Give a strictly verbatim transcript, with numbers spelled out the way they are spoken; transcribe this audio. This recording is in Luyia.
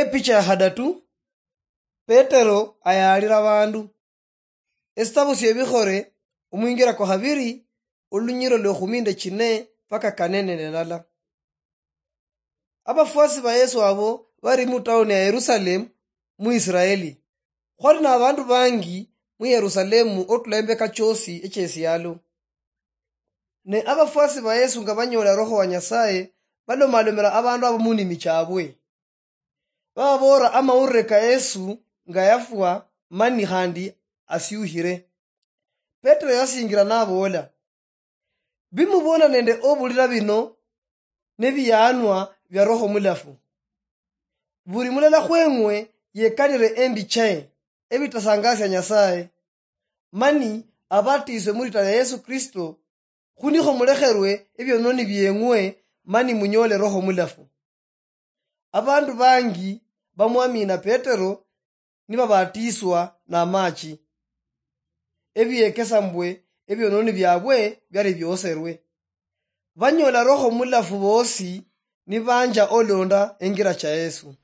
Epicha ya hadatu. Petero ayaalira abandu. Esitabu sy'Ebikhole, omwingira kwa habiri, olunyiro lwa ekhumi nende chine paka kane nende ndala. Abafwasi ba Yesu abo bali mu tauni ya Yerusalemu mu Isiraeli. Khwali na abandu bangi mu Yerusalemu otula embeka choosi echesialo. Ne abafwasi ba Yesu nga banyoola Roho wa Nyasaye, balomalomela abandu abo mu nimi chabwe. Bababoolera amawulire ka Yesu nga yafwa mani khandi asyukhire. Petero yasingira naboola, "Bimubona nende obulira bino nebiyaanwa bia Roho Mulafu. Buli mulala khweng'we yekanire embi chae ebitasangasia Nyasaye, mani abatiiswe mulita lia Yesu Kristo, khunikho mulekherwe ebiononi bieng'we, mani munyoole Roho Mulafu." Abandu bangi bamwamina Petero nibabatiiswa namachi, ebiekesa mbwe ebiononi biabwe biali bioserwe. Banyoola Roho Mulafu boosi nibanja olonda engira cha Yesu.